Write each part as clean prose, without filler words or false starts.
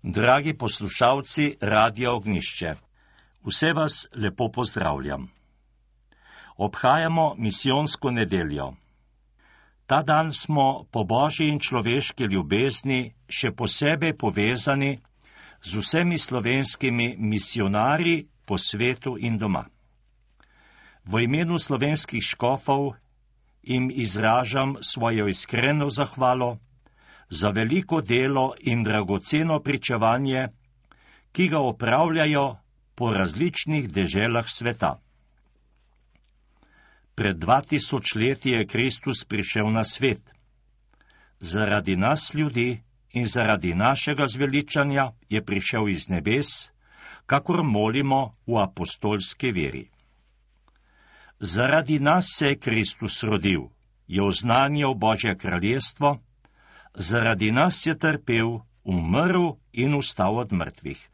Dragi poslušalci Radia Ognjišče, vse vas lepo pozdravljam. Obhajamo misijonsko nedeljo. Ta dan smo po božji in človeški ljubezni še posebej povezani z vsemi slovenskimi misionarji po svetu in doma. V imenu slovenskih škofov jim izražam svojo iskreno zahvalo za veliko delo in dragoceno pričevanje, ki ga opravljajo po različnih deželah sveta. Pred 2000 leti je Kristus prišel na svet. Zaradi nas ljudi in zaradi našega zveličanja je prišel iz nebes, kakor molimo v apostolski veri. Zaradi nas se je Kristus rodil, je oznanjal Božje kraljestvo, zaradi nas je trpel, umrl in vstal od mrtvih.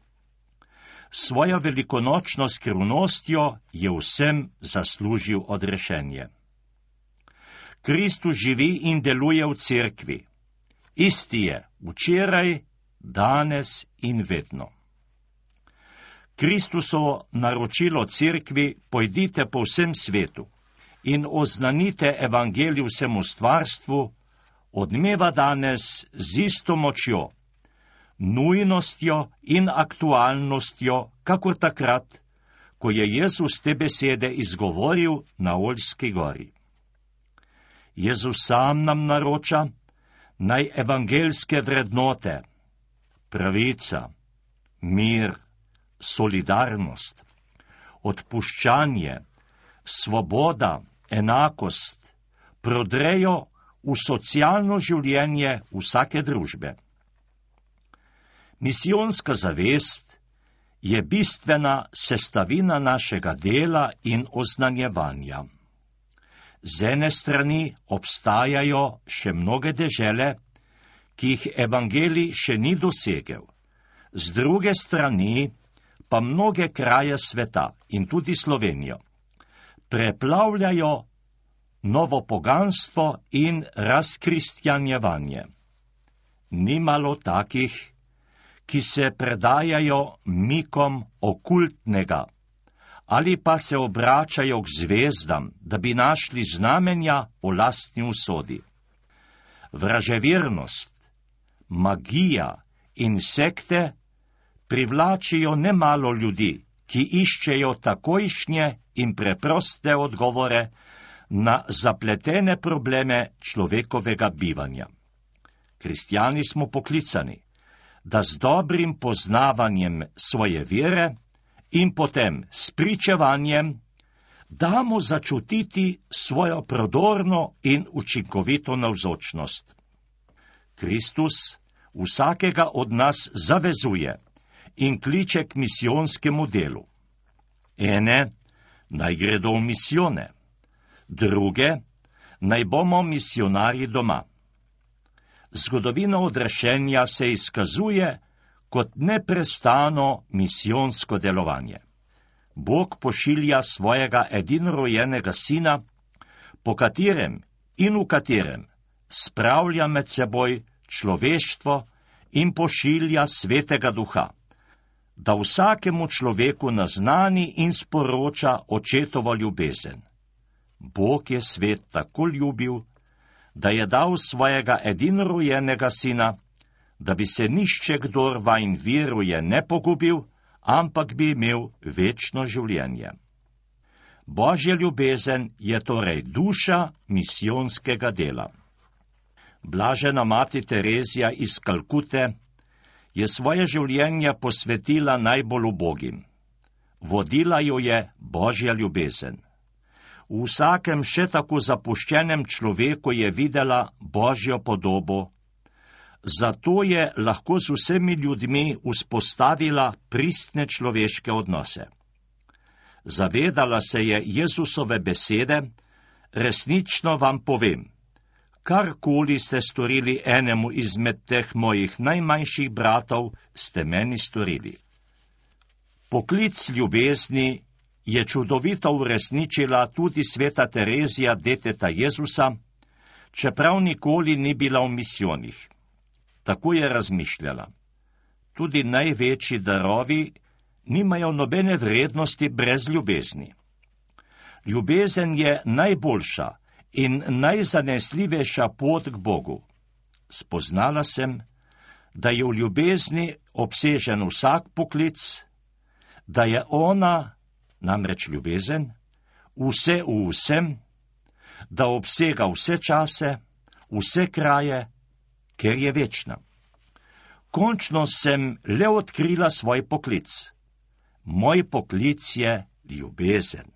Svojo velikonočno skrivnostjo je vsem zaslužil odrešenje. Kristus živi in deluje v cerkvi. Isti je včeraj, danes in vedno. Kristusovo naročilo cerkvi: pojdite po vsem svetu in oznanite evangelij vsemu stvarstvu, odmeva danes z isto močjo, nujnostjo in aktualnostjo, kakor takrat, ko je Jezus te besede izgovoril na Oljski gori. Jezus sam nam naroča, naj evangeljske vrednote, pravica, mir, solidarnost, odpuščanje, svoboda, enakost prodrejo v socialno življenje vsake družbe. Misijonska zavest je bistvena sestavina našega dela in oznanjevanja. Z ene strani obstajajo še mnoge dežele, ki jih evangelij še ni dosegel, z druge strani pa mnoge kraje sveta in tudi Slovenijo preplavljajo novo poganstvo in razkristjanjevanje. Ni malo takih, ki se predajajo mikom okultnega ali pa se obračajo k zvezdam, da bi našli znamenja o lastni usodi. Vraževernost, magija in sekte privlačijo nemalo ljudi, ki iščejo takojšnje in preproste odgovore na zapletene probleme človekovega bivanja. Kristjani smo poklicani, da z dobrim poznavanjem svoje vere in potem s pričevanjem damo začutiti svojo prodorno in učinkovito navzočnost. Kristus vsakega od nas zavezuje in kliče k misijonskemu delu. Ene naj gredo v misijone, druge naj bomo misijonarji doma. Zgodovina odrešenja se izkazuje kot neprestano misijonsko delovanje. Bog pošilja svojega edinorojenega sina, po katerem in v katerem spravlja med seboj človeštvo in pošilja svetega duha, da vsakemu človeku naznani in sporoča očetovo ljubezen. Bog je svet tako ljubil, da je dal svojega edinorojenega sina, da bi se nišče, kdor vanj veruje, ne pogubil, ampak bi imel večno življenje. Božja ljubezen je torej duša misijonskega dela. Blažena mati Terezija iz Kalkute je svoje življenje posvetila najbolj ubogim. Vodila jo je Božja ljubezen. V vsakem še tako zapuščenem človeku je videla Božjo podobo, zato je lahko z vsemi ljudmi vzpostavila pristne človeške odnose. Zavedala se je Jezusove besede: resnično vam povem, karkoli ste storili enemu izmed teh mojih najmanjših bratov, ste meni storili. Poklic ljubezni je čudovito uresničila tudi sveta Terezija, deteta Jezusa, čeprav nikoli ni bila v misijonih. Tako je razmišljala. tudi največji darovi nimajo nobene vrednosti brez ljubezni. Ljubezen je najboljša in najzanesljivejša pot k Bogu. Spoznala sem, da je v ljubezni obsežen vsak poklic, da je ona, namreč ljubezen, vse v vsem, da obsega vse čase, vse kraje, ker je večna. Končno sem le odkrila svoj poklic. Moj poklic je ljubezen.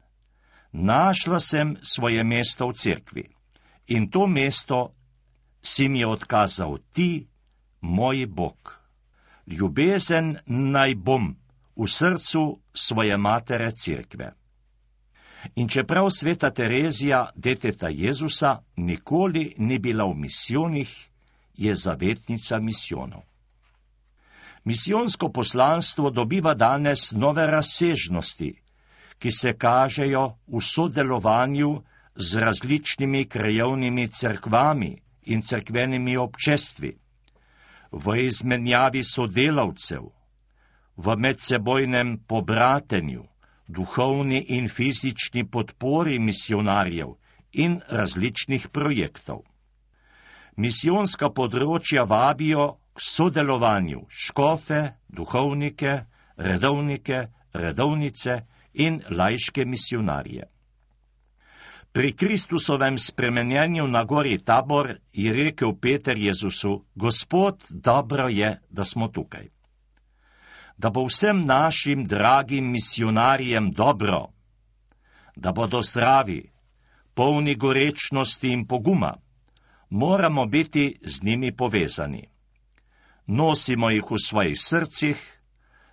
Našla sem svoje mesto v cerkvi in to mesto si mi je odkazal ti, moj Bog. Ljubezen naj bom v srcu svoje matere cerkve. In čeprav sveta Terezija, deteta Jezusa, nikoli ni bila v misijonih, je zavetnica misijonov. Misijonsko poslanstvo dobiva danes nove razsežnosti, ki se kažejo v sodelovanju z različnimi krajevnimi cerkvami in cerkvenimi občestvi, v izmenjavi sodelavcev, v medsebojnem pobratenju, duhovni in fizični podpori misijonarjev in različnih projektov. Misijonska področja vabijo k sodelovanju škofe, duhovnike, redovnike, redovnice in laiške misijonarje. Pri Kristusovem spremenjenju na gori Tabor je rekel Peter Jezusu: Gospod, dobro je, da smo tukaj. Da bo vsem našim dragim misijonarjem dobro, da bodo zdravi, polni gorečnosti in poguma, moramo biti z njimi povezani. Nosimo jih v svojih srcih,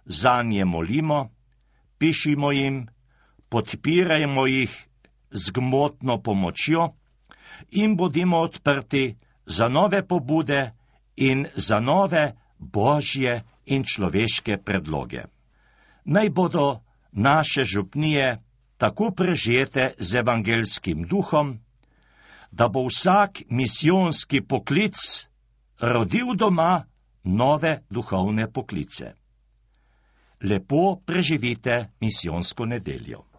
zanje molimo, pišimo jim, podpirajmo jih z gmotno pomočjo in bodimo odprti za nove pobude in za nove božje in človeške predloge. Naj bodo naše župnije tako prežete z evangelskim duhom, da bo vsak misijonski poklic rodil doma nove duhovne poklice. Lepo preživite misijonsko nedeljo.